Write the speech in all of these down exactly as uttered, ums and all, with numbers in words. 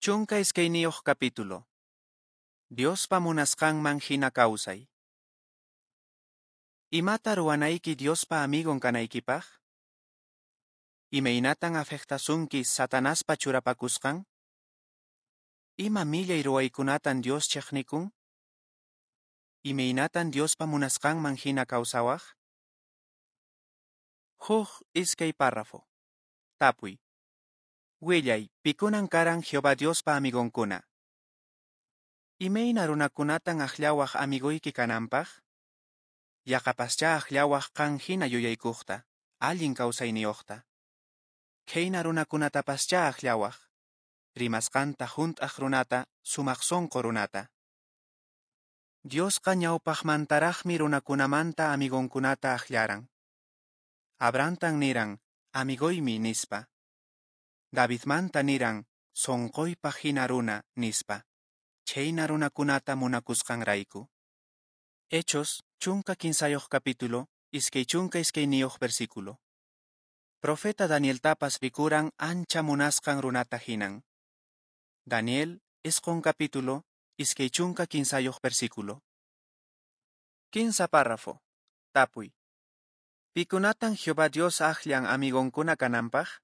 Chunka iskayniyuq capítulo. Diospa munasqanman hina kawsay. Imata ruwanayki Diospa amigon kanaykipaq? Imaynatan afectasunki Satanaspa churapakusqan? Ima millay ruwaykunatan Dios cheqnikun? Imaynatan Diospa munasqanman hina kawsawaq? Huk iskay párrafo. Tapuy. Willay, pikunan karan Jehová Diospa amigonkuna. Imayna runakunatan akllawaq amigoyki kananpaq? Yaqapaschá akllawaq qan hina yuyaykuqta, allin kawsayniyuqta. Khayna runakunatapaschá akllawaq, rimasqanta hunt'aq runata, sumaq sunqu runata. Diosqa ñawpaqmantaraqmi runakunamanta amigonkunata akllaran. Abrahamtan niran, amigoymi nispa. Davidmanta niran, sonqoypaq hina runa, nispa. Chhayna runakunata munakusqanrayku. Hechos, chunka kinsayuq capítulo, iskay chunka iskayniyuq versículo. Profeta Danieltapas rikuran ancha munasqan runata hinan. Daniel, isqun capítulo, iskay chunka kinsayuq versículo. Kinsa párrafo. Tapuy. Pikunatan Jehová Dios akllan amigonkuna kananpaq?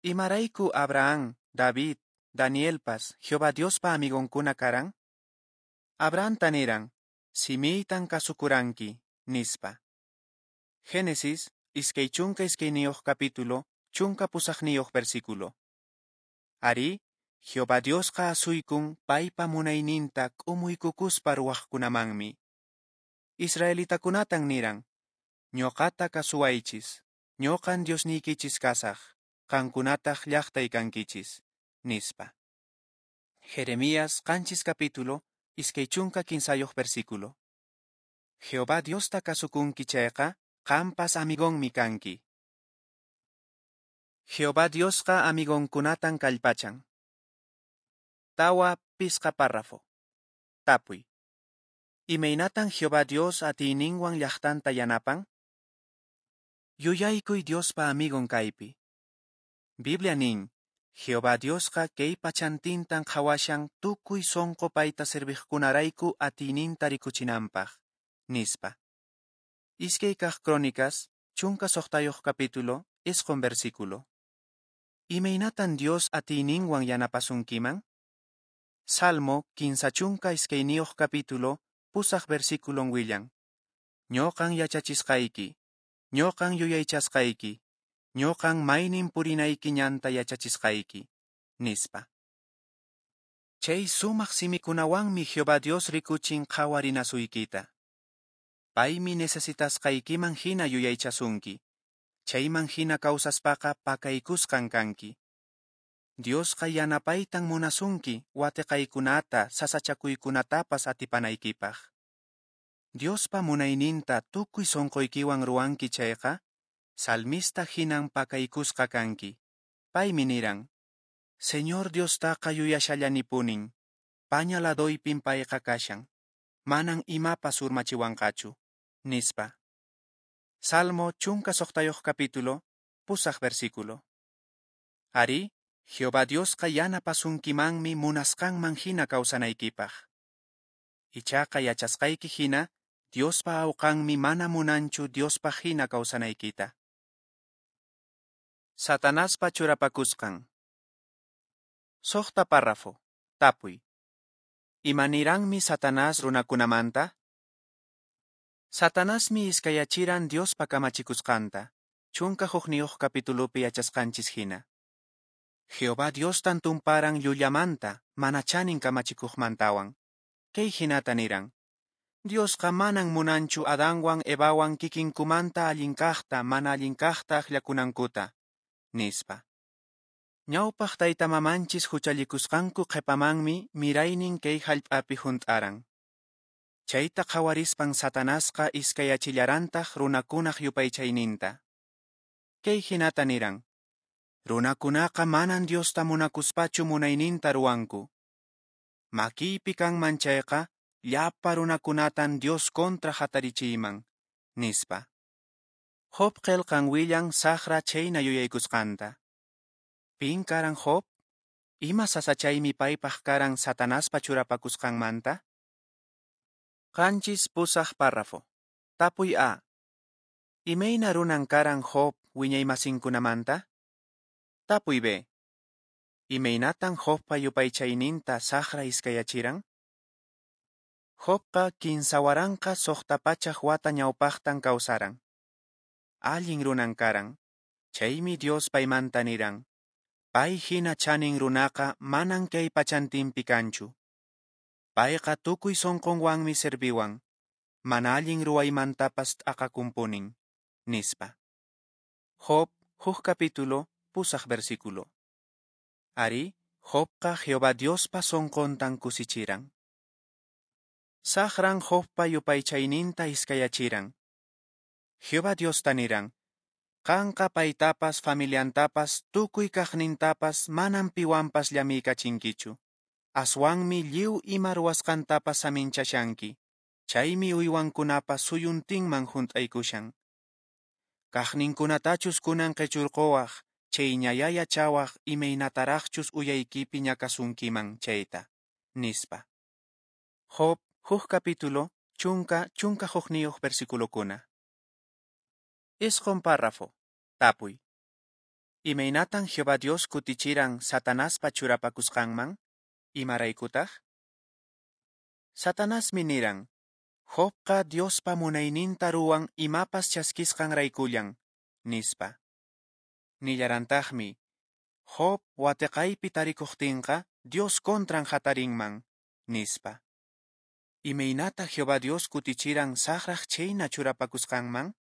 Imarayku Abraham, David, Danielpas Jehová Diospa amigonkuna karan? Abrahamta niran, simiytan kasukuranki, nispa. Génesis, iskay chunka iskayniyuq capítulo, chunka pusaqniyuq versículo. Ari, Jehová Diosqa asuykun paypa munayninta k'umuykukuspa ruwaqkunamanmi. Israelitakunatan niran, ñuqata kasuwaychis, ñuqan Diosniykichis kasaq, qankunataq llaqtay kankichis, nispa. Jeremías qanchis capítulo, iskay chunka kinsayuq versículo. Jehová Diosta kasukunki chayqa, qampas amigonmi kanki. Jehová Diosqa amigonkunatan kallpachan. Tawa pisqa párrafo. Tapuy. Imaynatan Jehová Dios atiyninwan llaqtanta yanapan? Yuyaykuy Diospa amigon kaypi. Biblia nin, Jehová Diosqa kay pachantintan qhawashan tukuy sunqu payta serviqkunarayku atiyninta rikuchinanpaq, nispa. Iskay kaq Crónicas, chunka suqtayuq capítulo, isqun versículo. Imaynatan Dios atiyninwan yanapasunkiman? Salmo kinsa chunka iskayniyuq capítulo, pusaq versículon willan. Ñuqan yachachisqayki, ñuqan yuyaychasqayki, ñuqan maynin purinayki ñanta yachachisqayki, nispa. Chay sumaq simikunawanmi Jehová Dios rikuchin qhawarinasuykita. Paymi necesitasqaykiman hina yuyaychasunki, chayman hina kawsaspaqa pakaykusqan kanki. Diosqa yanapaytan munasunki watiqaykunata sasachakuykunatapas atipanaykipaq. Diospa munayninta tukuy sunquykiwan ruwanki chayqa, salmista hinan pakaykusqa kanki. Paymi niran, Señor Diostaqa yuyashallanipunin, paña ladoypin payqa kashan, manan imapas urmachiwanqachu, nispa. Salmo chunka suqtayuq capítulo, pusaq versículo. Ari, Jehová Diosqa yanapasunkimanmi munasqanman hina kawsanaykipaq. Ichaqa yachasqayki hina, Diospa awqanmi mana munanchu Diospaq hina kawsanaykita. Satanaspa churapakusqan. Suqta párrafo. Tapuy. Imaniranmi Satanás runakunamanta? Satanasmi iskayachiran Diospa kamachikusqanta, chunka hukniyuq capitulopi yachasqanchis hina. Jehová Diostan tumparan llullamanta, mana chanin kamachikuqmantawan. Kay hinata niran. Diosqa manan munanchu Adanwan Evawan kikinkumanta allin kaqta mana allin kaqta akllakunankuta, nispa. Ñawpaq tayta mamanchis huchallikusqanku qhipamanmi miraynin kay hallp'api hunt'aran. Chayta qhawarispan Satanasqa iskayachillarantaq runakunaq yupaychayninta. Kay hinata niran. Runakunaqa manan Diosta munakuspachu munayninta ruwanku. Makiypi kanman chayqa, llapa runakunatan Dios kontra hatarichiyman, nispa. Job qillqan willan saqra chhayna yuyaykusqanta. Pin karan Job? Ima sasachaymi paypaq karan Satanaspa churapakusqanmanta? Qanchis pusaq párrafo. Tapuy A. Imayna runan karan Job wiñaymasinkunamanta? Tapuy B. Imaynatan Jobpa yupaychayninta Saqra iskayachiran? Jobqa kinsa waranqa suqta pachak wata ñawpaqtan kawsaran. Allin runan karan. Chaymi Dios paymanta niran. Pay hina chanin runaqa manan kay pachantinpi kanchu. Payqa tukuy sunqunwanmi serviwan. Mana allin ruwaymantapas t'aqakunpunin, nispa. Job, huk capítulo, pusaq versículo. Ari, Jobqa Jehová Diospa sunquntan kusichiran. Saqran Jobpa yupaychayninta iskayachiran. Jehová Diosta niran, qanqa paytapas familiantapas tukuy kaqnintapas manan piwanpas llamiykachinkichu. Aswanmi lliw ima ruwasqantapas saminchashanki. Chaymi uywankunapas suyuntinman hunt'aykushan. Kaqninkunatachus kunan qichurquwaq, chayñayá yachawaq imaynataraqchus uyaykipi ñakasunkiman chayta, nispa. Job, huk capítulo, chunka, chunka hukniyuq versiculokuna. Isqun párrafo. Tapuy. Imaynatan Jehová Dios kutichiran Satanaspa churapakusqanman? Imaraykutaq? Satanasmi niran, Jobqa Diospa munayninta ruwan imapas chaskisqanraykullan, nispa. Nillarantaqmi, Job wateqaypi tarikuqtinqa Dios contran hatarinman, nispa. Imaynata Jehová Dios kutichiran Saqraq chayna churapakusqanman?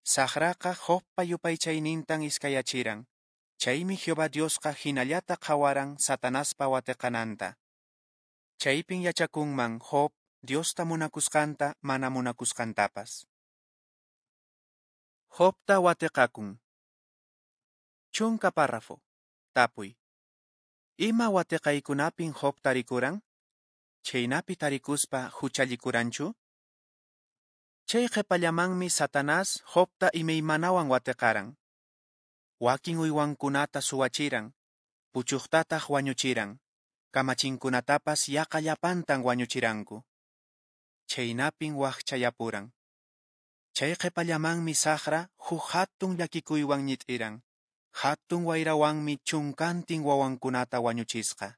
Saqraqa Jobpa yupaychaynintan iskayachiran. Chaymi Jehová Diosqa hinallata qhawaran Satanaspa wateqananta. Chaypin yachakunman Job Diosta munakusqanta mana munakusqantapas. Jobta wateqakun. Chunka párrafo. Tapuy. Ima wateqaykunapin Job tarikuran? Chaynapi tarikuspa huchallikuranchu? Chay qhipallamanmi Satanás Jobta imaymanawan wateqaran. Wakin uywankunata suwachiran, puchuqtataq wañuchiran, kamachinkunatapas yaqa llapantan wañuchiranku. Chaynapin waqchayapuran. Chay qhipallamanmi Saqra huk hatun llakikuywan ñit'iran. Hatun wayrawanmi chunkantin wawankunata wañuchisqa.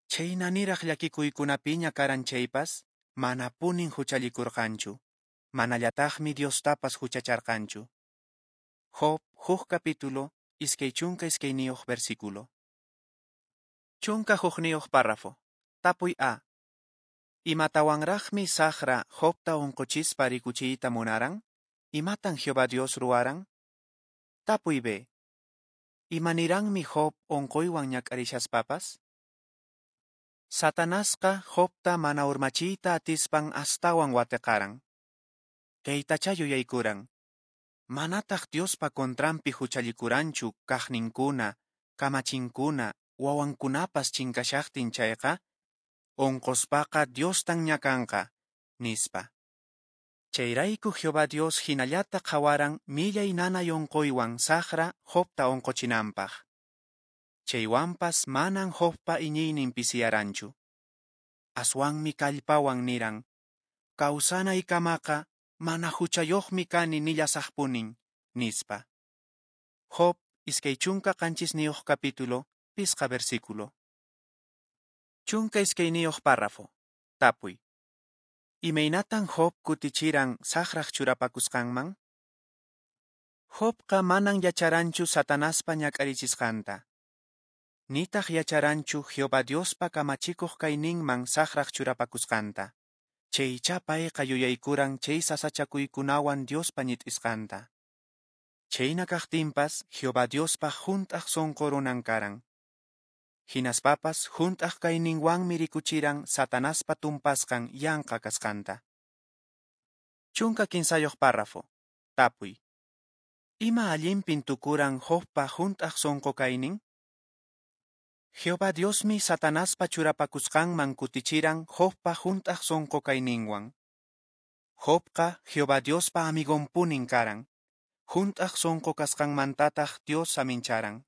Chayna niraq llakikuykunapiña karan chaypas, manapunin huchallikurqanchu. Manallataqmi Diostapas huchacharqanchu. Job, huk capítulo, iskay chunka iskayniyuq versículo. Chunka hukniyuq párrafo. Tapuy A. Imatawanraqmi Saqra Jobta unquchispa rikuchiyta munaran? Imatan Jehová Dios ruwaran? Tapuy B. Imaniranmi Job unquywan ñak'arishaspapas? Satanasqa Jobta mana urmachiyta atispan astawan wateqaran. Kaytachá yuyaykuran. Manataq Diospa contranpi huchallikuranchu kaqninkuna, kamachinkuna, wawankunapas chinkashaqtin chayqa, unquspaqa Diostan ñakanqa, nispa. Chayrayku Jehová Dios hinallata qhawaran millay nanay unquywan Saqra Jobta unquchinanpaq. Chaywanpas manan Jobpa iñiynin pisiyaranchu. Aswanmi kallpawan niran, kawsanaykamaqa mana huchayuqmi kani nillasaqpunin, nispa. Job, iskay chunka qanchisniyuq capítulo, pisqa versículo. Chunka iskayniyuq párrafo. Tapuy. Imaynatan Job kutichiran Saqraq churapakusqanman? Jobqa manan yacharanchu Satanaspa ñak'arichisqanta. Nitaq yacharanchu Jehová Diospa kamachikuq kayninman Saqraq churapakusqanta. Chaychá payqa yuyaykuran chay sasachakuykunawan Diospa ñit'isqanta. Chayna kaqtinpas Jehová Diospaq hunt'aq sunqu runan karan. Hinaspapas hunt'aq kayninwanmi rikuchiran Satanaspa tumpasqan yanqa kasqanta. Chunka kinsayuq párrafo. Tapuy. Ima allinpin tukuran Jobpa hunt'aq sunqu kaynin? Jehová Diosmi Satanaspa churapakusqanman kutichiran Jobpa hunt'aq sunqu kayninwan. Jobqa Jehová Diospa amigonpunin karan. Hunt'aq sunqu kasqanmantataq Dios samincharan.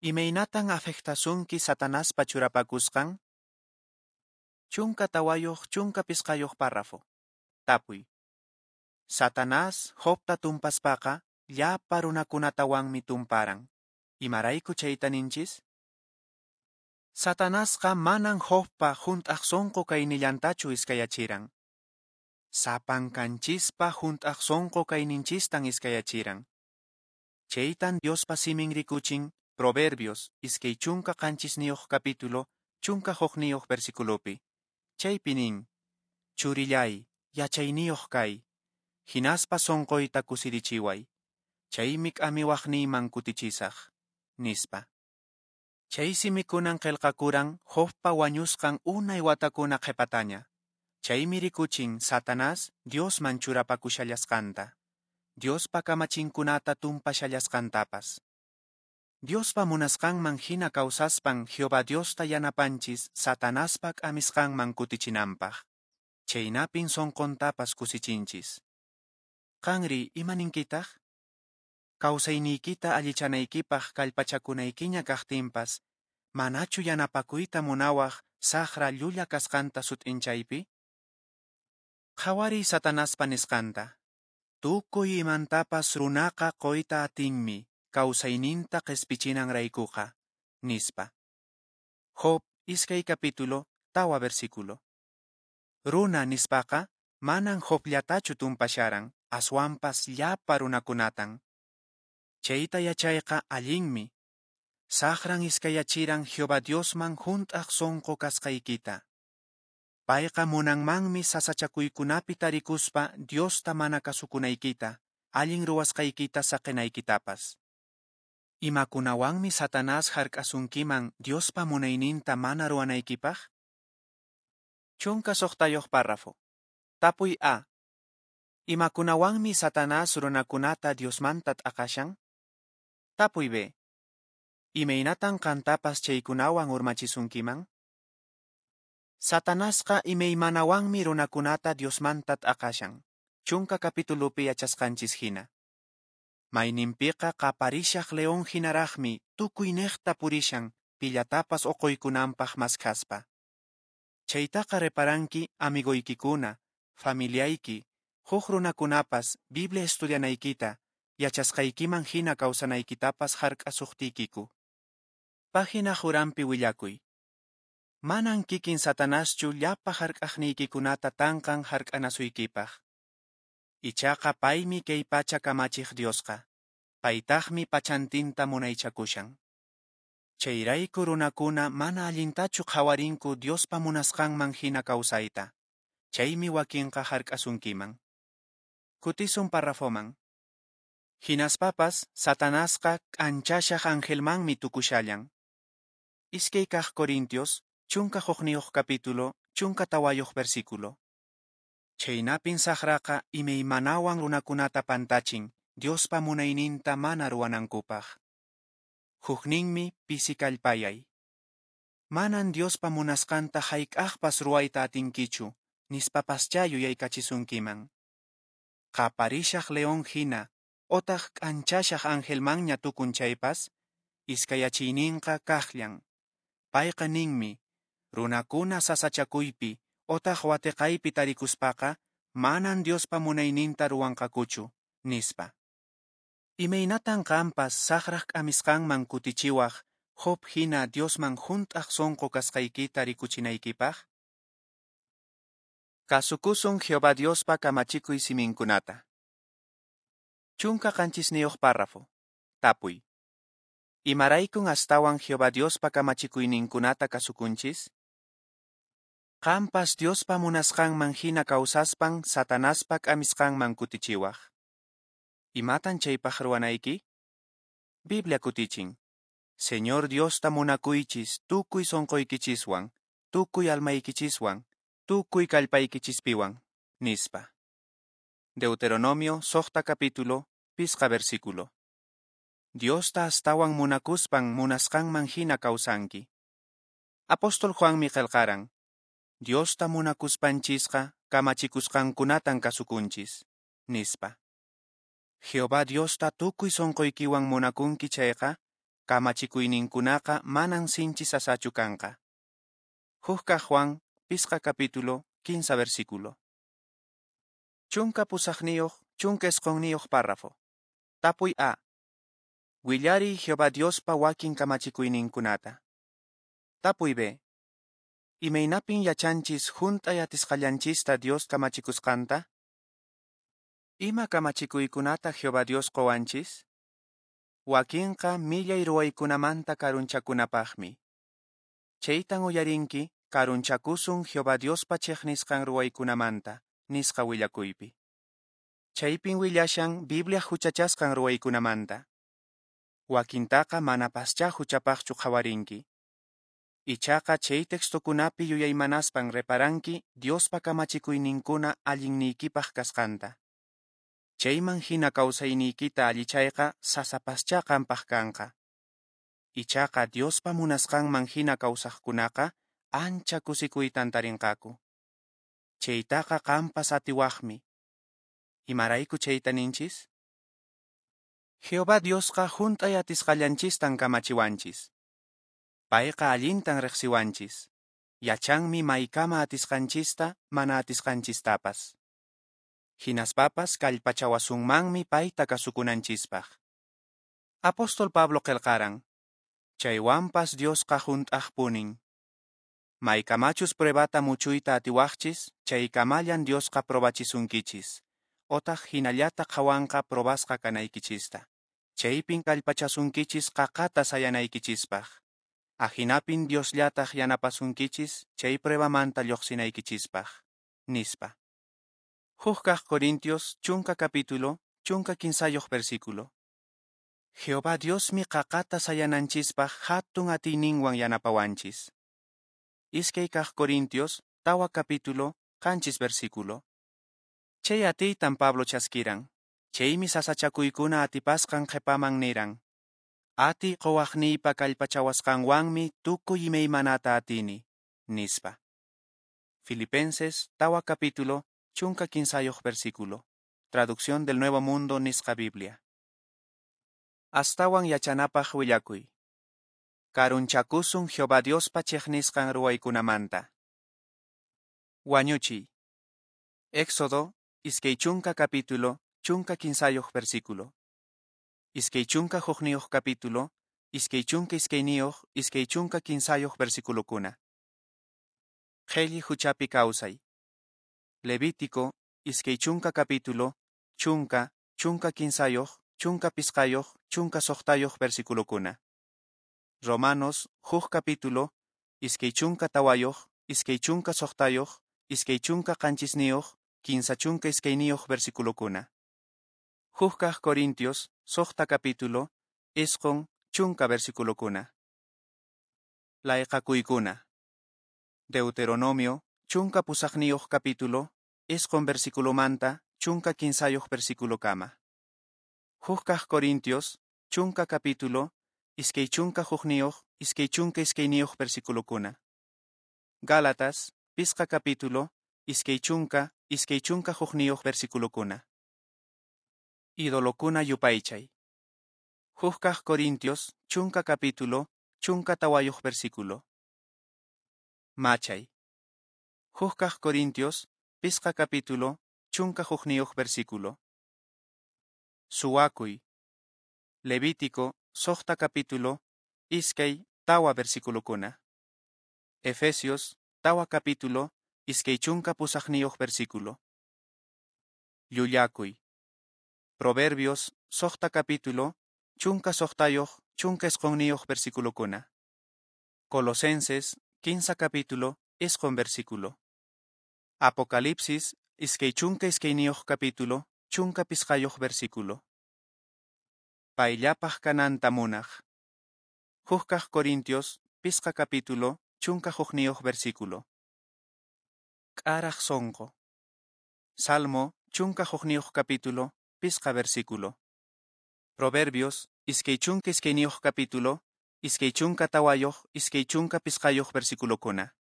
Imaynatan afectasunki Satanaspa churapakusqan? Chunka tawayuq chunka pisqayuq párrafo. Tapuy. Satanás Jobta tumpaspaqa llapa runakunatawanmi tumparan. Imarayku chayta ninchis? Satanasqa manan Jobpa hunt'aq sonqo kaynillantachu iskayachiran. Sapankanchispa hunt'aq sonqo kayninchistan iskayachiran. Chaytan Diospa simin rikuchin Proverbios iskay chunka qanchisniyuq capítulo chunka hukniyuq versiculopi. Chaypi nin, Churillay, yachayniyuq kay, hinaspa sonqoyta kusirichiway, chaymi k'amiwaqniyman kutichisaq, nispa. Chay simikunan qillqakuran Jobpa wañusqan unay watakuna qhipataña. Chaymi rikuchin Satanás Diosman churapakushallasqanta, Diospa kamachinkunata tumpashallasqantapas. Diospa munasqanman hina kawsaspan Jehová Diosta yanapanchis Satanaspa k'amisqanman kutichinanpaq. Chaynapin sonqontapas kusichinchis. Qanri ima ninkitaq? Kawsayniykita allichanaykipaq kallpachakunaykiña kaqtinpas, manachu yanapakuyta munawaq saqra llulla kasqanta sut'inchaypi? Qhawariy Satanaspa nisqanta. Tukuy imantapas runaqa quyta atinmi kawsayninta qispichinanraykuqa, nispa. Job iskay capítulo tawa versículo. Runa nispaqa manan Jobllatachu tumpasharan, aswanpas llapa runakunatan. Chayta yachayqa allinmi. Saqran iskayachiran Jehová Diosman hunt'aq sonqo kasqaykita. Payqa munanmanmi sasachakuykunapi tarikuspa Diosta mana kasukunaykita, allin ruwasqaykita saqinaykitapas. Imakunawanmi Satanás hark'asunkiman Diospa munayninta mana ruwanaykipaq? Chunka suqtayuq párrafo. Tapuy A. Imakunawanmi Satanás runakunata Diosmanta t'aqashan? Tapuy B. Imaynatan qantapas chaykunawan urmachisunkiman? Satanasqa imaymanawanmi runakunata Diosmanta t'aqashan. Chunka capitulopi yachasqanchis hina. Mayninpiqa qaparishaq león hinaraqmi tukuyniqta purishan pillatapas uquykunanpaq maskhaspa. Chaytaqa reparanki amigoykikuna, familiayki, huk runakunapas Biblia estudianaykita, yachasqaykiman hina kawsanaykitapas hark'asuqtiykiku. Página uranpi willakuy. Manan kikin Satanaschu llapa hark'aqniykikunata tanqan hark'anasuykipaq. Ichaqa paymi kay pacha kamachiq Diosqa. Paytaqmi pachantinta munaychakushan. Chayrayku runakuna mana allintachu qhawarinku Diospa munasqanman hina kawsayta. Chaymi wakinqa hark'asunkiman. Kutisun parrafoman. Hinaspapas Satanasqa k'anchashaq angelmanmi tukushallan. Iskay kaq Corintios, chunka hukniyuq capítulo, chunka tawayuq versículo. Chaynapin saqraqa imaymanawan runakunata pantachin Diospa munayninta mana ruwanankupaq. Hukninmi pisi kallpayay. Manan Diospa munasqanta hayk'aqpas ruwayta atinkichu, nispapaschá yuyaykachisunkiman. Qaparishaq león hina, otaq k'anchashaq angelmanña tukun chaypas, iskayachiyninqa kaqllan. Payqa ninmi, runakuna sasachakuypi, otaq watiqaypi tarikuspaqa, manan Diospa munayninta ruwanqakuchu, nispa. Imaynatan qanpas saqraq k'amisqanman kutichiwaq, Job hina Diosman hunt'aq sonqo kasqaykita rikuchinaykipaq? Kasukusun Jehová Diospa kamachikuy siminkunata. Chunka qanchisniyuq párrafo. Tapuy. Imaraykun astawan Jehová Diospa kamachikuyninkunata kasukunchis? Qanpas Diospa munasqanman hina kawsaspan Satanaspa k'amisqanman kutichiwaq. Imatan chaypaq ruwanayki? Biblia kutichin. Señor Diosta munakuychis tukuy sonqoykichiswan, tukuy almaykichiswan, tukuy kallpaykichispiwan, nispa. Deuteronomio suqta capítulo, pisqa versículo. Diosta astawan munakuspan munasqanman hina kawsanki. Apóstol Juanmi qillqaran, Diosta munakuspanchisqa kamachikusqankunatan kasukunchis, nispa. Jehová Diosta tukuy sonqoykiwan munakunki chayqa, Kamachikuyninkunaqa manan sinchi sasachu kanqa. Huk kaq Juan, pisqa capítulo, kinsa versículo. Chunka pusaqniyuq, chunka isqunniyuq párrafo. Tapuy A. Willariy Jehová Diospa wakin kamachikuyninkunata. Tapuy B. Imaynapin yachanchis hunt'ay atisqallanchista Dios kamachikusqanta? Ima kamachikuykunata Jehová Dios qowanchis? Wakinqa millay ruwaykunamanta karunchakunapaqmi. Chaytan uyarinki karunchakusun Jehová Diospa chiqnisqan ruwaykunamanta, nisqa willakuypi. Chaypin willashan Biblia huchachasqan ruwaykunamanta. Wakintaqa manapaschá huchapaqchu qhawarinki. Ichaqa chay textokunapi yuyaymanaspan reparanki Diospa kamachikuyninkuna allinniykipaq kasqanta. Chayman hina kawsayniykita allichayqa sasapaschá qanpaq kanqa. Ichaqa Diospa munasqanman hina kawsaqkunaqa ancha kusikuytan tarinqaku. Chaytaqa qanpas atiwaqmi. Imarayku chayta ninchis? Jehová Diosqa hunt'ay atisqallanchistan kamachiwanchis. Payqa allintan riqsiwanchis. Yachanmi maykama atisqanchista mana atisqanchistapas. Hinaspapas kallpachawasunmanmi payta kasukunanchispaq. Apóstol Pablo qillqaran, chaywanpas Diosqa hunt'aqpunin. Maykamachus pruebata muchuyta atiwaqchis, chaykamallan Diosqa probachisunkichis, otaq hinallata qhawanqa probasqa kanaykichista. Chaypin kallpachasunkichis qaqata sayanaykichispaq. Ahinapin Diosllataq yanapasunkichis chay pruebamanta lluqsinaykichispaq, nispa. Huk kaq Corintios, chunka capítulo, chunka kinsayuq versículo. Jehová Diosmi qaqata sayananchispaq hatun atiyninwan yanapawanchis. Iskay kaq Corintios, tawa capítulo, qanchis versículo. Chay atiytan Pablo chaskiran. Chaymi sasachakuykuna atipasqan qhipaman niran. Atiy quwaqniypa kallpachawasqanwanmi tukuy imaymanata atini, nispa. Filipenses, tawa capítulo, chunka kinsayuq versículo. Traducción del Nuevo Mundo nisqa Biblia. Astawan yachanapaq willakuy. Karunchakusun Jehová Diospa chiqnisqan ruwaykunamanta. Wañuchiy. Éxodo, iskay chunka capítulo, chunka kinsayuq versículo. Iskay chunka hukniyuq capítulo, iskay chunka iskayniyuq, iskay chunka kinsayuq versiculokuna. Qhelli huchapi kawsay. Levítico, iskay chunka capítulo, chunka, chunka kinsayuq, chunka pisqayuq, chunka suqtayuq versiculokuna. Romanos, huk capítulo, iskay chunka tawayuq, iskay chunka suqtayuq, iskay chunka qanchisniyuq, kinsa chunka iskayniyuq versiculokuna. Huk kaq Corintios, suqta capítulo, isqun, chunka versiculokuna. Layqakuykuna. Deuteronomio, chunka pusaqniyuq capítulo, isqun versiculomanta, chunka kinsayuq versiculokama. Huk kaq Corintios, chunka capítulo, iskay chunka hukniyuq, iskay chunka iskayniyuq versiculokuna. Gálatas, pisqa capítulo, iskay chunka, iskay chunka hukniyuq versiculokuna. Idolokuna yupaychay. Huk kaq Corintios, chunka capítulo, chunka tawayuq versículo. Machay. Huk kaq Corintios, pisqa capítulo, chunka hukniyuq versículo. Suwakuy. Levítico, suqta capítulo, iskay, tawa versiculokuna. Efesios, tawa capítulo, iskay chunka pusaqniyuq versículo. Llullakuy. Proverbios, suqta capítulo, chunka suqtayuq, chunka isqunniyuq versiculokuna. Colosenses, kinsa capítulo, isqun versículo. Apocalipsis, iskay chunka iskayniyuq capítulo, chunka pisqayuq versículo. Payllapaq kananta munaq. Huk kaq Corintios, pisqa capítulo, chunka hukniyuq versículo. K'araq sonqo. Salmo, chunka hukniyuq capítulo, pisqa versículo. Proverbios, iskay chunka iskayniyuq capítulo, iskay chunka tawayuq, iskay chunka pisqayuq versiculokuna.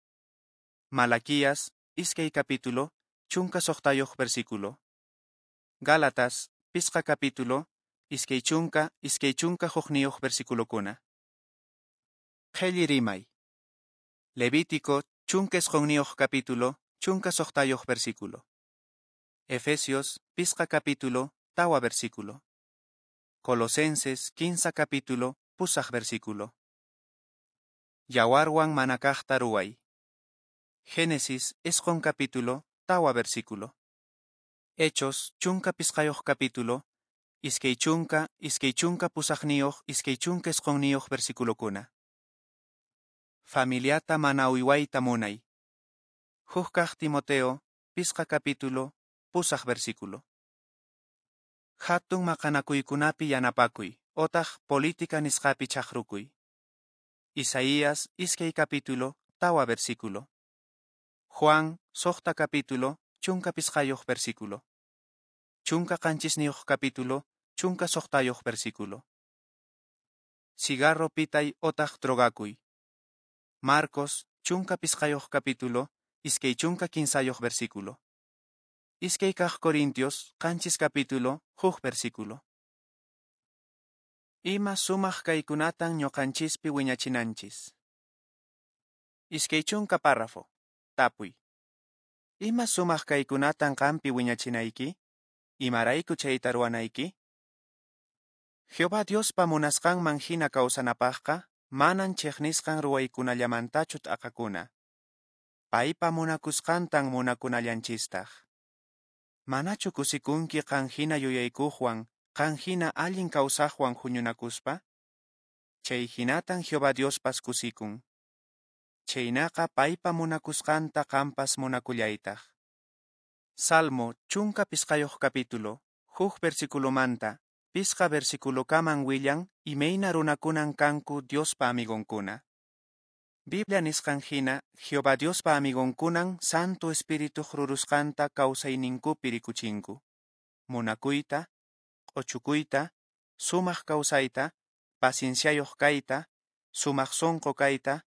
Malaquías, iskay capítulo, chunka suqtayuq versículo. Gálatas, pisqa capítulo, iskay chunka, iskay chunka hukniyuq versiculokuna. Qhelli rimay. Levítico chunka isqunniyuq capítulo, chunka suqtayuq versículo. Efesios pisqa capítulo, tawa versículo. Colosenses kinsa capítulo, pusaq versículo. Yawarwan mana kaqta ruway. Génesis isqun capítulo, tawa versículo. Hechos chunka pisqayuq capítulo, iskay chunka, iskay chunka pusaqniyuq, iskay chunka isqunniyuq versiculokuna. Familiata mana uywayta munay. Huk kaq Timoteo, pisqa capítulo, pusaq versículo. Hatun maqanakuykunapi yanapakuy, otaq política nisqapi chaqrukuy. Isaías iskay capítulo, tawa versículo. Juan suqta capítulo, chunka pisqayuq versículo. Chunka qanchisniyuq capítulo, chunka suqtayuq versículo. Cigarro pitay otaq drogakuy. Marcos chunka pisqayuq capítulo, iskay chunka kinsayuq versículo. Iskay kaq Corintios, qanchis capítulo, huk versículo. Ima sumaq kaykunatan ñuqanchispi wiñachinanchis. Iskay chunka párrafo. Tapuy. Ima sumaq kaykunatan qampi wiñachinayki? Imarayku chayta ruwanayki? Jehová Diospa munasqanman hina kawsanapaqqa, manan chiqnisqan ruwaykunallamantachu t'aqakuna. Paypa munakusqantan munakunallanchistaq. Manachu kusikunki qan hina yuyaykuqwan, qan hina allin kawsaqwan huñunakuspa? Chay hinatan Jehová Diospas kusikun. Chaynaqa paypa munakusqanta qampas munakullaytaq. Salmo chunka pisqayuq capítulo, huk versiculomanta, pisqa versiculokaman willan imayna runakunan kanku Diospa amigonkuna. Biblia nisqan hina, Jehová Diospa amigonkunan Santo Espirituq rurusqanta kawsayninkupi rikuchinku. Munakuyta, q'uchukuyta, sumaq kawsayta, pacienciayuq kayta, sumaq sunqu kayta,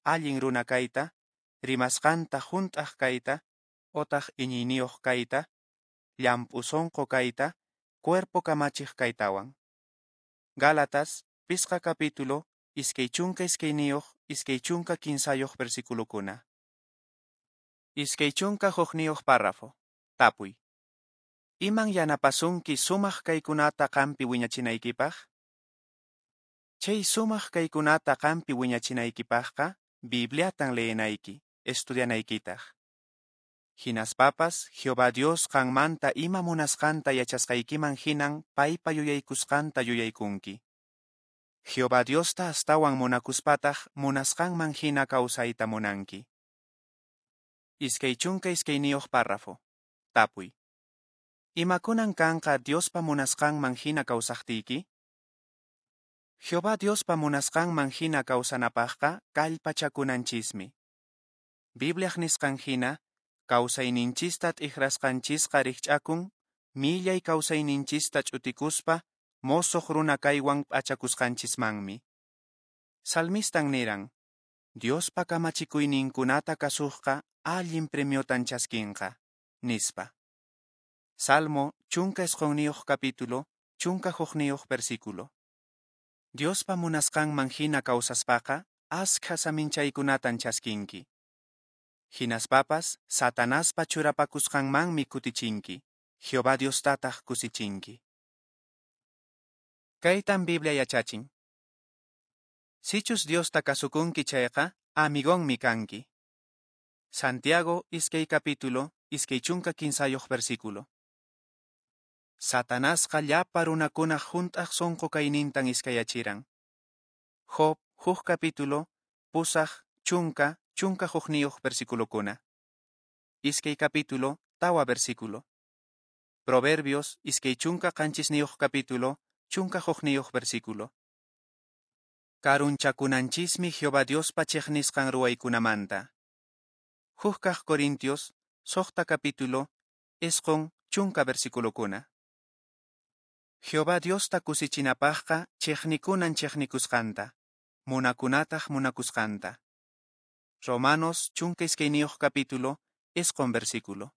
allin runa kayta, rimasqanta hunt'aq kayta, otaq iñiyniyuq kayta, llamp'u sunqu kayta, cuerpo kamachiq kaytawan. Gálatas, pisqa capítulo, iskay chunka iskayniyuq, iskay chunka kinsayuq versiculokuna. Iskay chunka hukniyuq párrafo. Tapuy. Iman yanapasunki sumaq kaykunata qampi wiñachinaykipaq? Chay sumaq kaykunata qampi wiñachinaykipaqqa, Bibliatan leenayki, estudianaykitaq. Hinaspapas, Jehová Dios qanmanta ima munasqanta yachasqaykiman hinan paypa yuyaykusqanta yuyaykunki. Jehová Diosta astawan munakuspataq munasqanman hina kawsayta munanki. Iskay chunka iskayniyuq párrafo. Tapuy. Imakunan kanqa Diospa munasqanman hina kawsaqtiyki? Jehová Diospa munasqanman hina kawsanapaqqa kallpachakunanchismi. Bibliaq nisqan hina, kawsayninchista t'ikrasqanchisqa rikch'akun, millay kawsayninchista ch'utikuspa, mosoq runa kaywan p'achakusqanchismanmi. Salmistan niran, Diospa kamachikuyninkunata kasuqqa allin premiotan chaskinqa, nispa. Salmo chunka isqunniyuq capítulo, chunka hukniyuq versículo. Diospa munasqanman hina kawsaspaqa, askha saminchaykunatan chaskinki. Hinaspapas, Satanaspa churapakusqanmanmi kutichinki, Jehová Diostataq kusichinki. Kaytan Biblia yachachin. Sichus Diosta kasukunki chayqa, amigonmi kanki. Santiago iskay capítulo, iskay chunka kinsayuq versículo. Satanasqa llapa runakunaq hunt'aq sunqu kaynintan iskayachiran. Job huk capítulo, pusaq, chunka, chunka hukniyuq versiculokuna. Iskay capítulo, tawa versículo. Proverbios iskay chunka qanchisniyuq capítulo, chunka hukniyuq versículo. Karunchakunanchismi Jehová Diospa chiqnisqan ruwaykunamanta. Huk kaq Corintios, suqta capítulo, isqun chunka versiculokuna. Jehová Diosta kusichinapaqqa chiqnikunan chiqnikusqanta, munakunataq munakusqanta. Romanos chunka iskayniyuq capítulo, isqun versículo.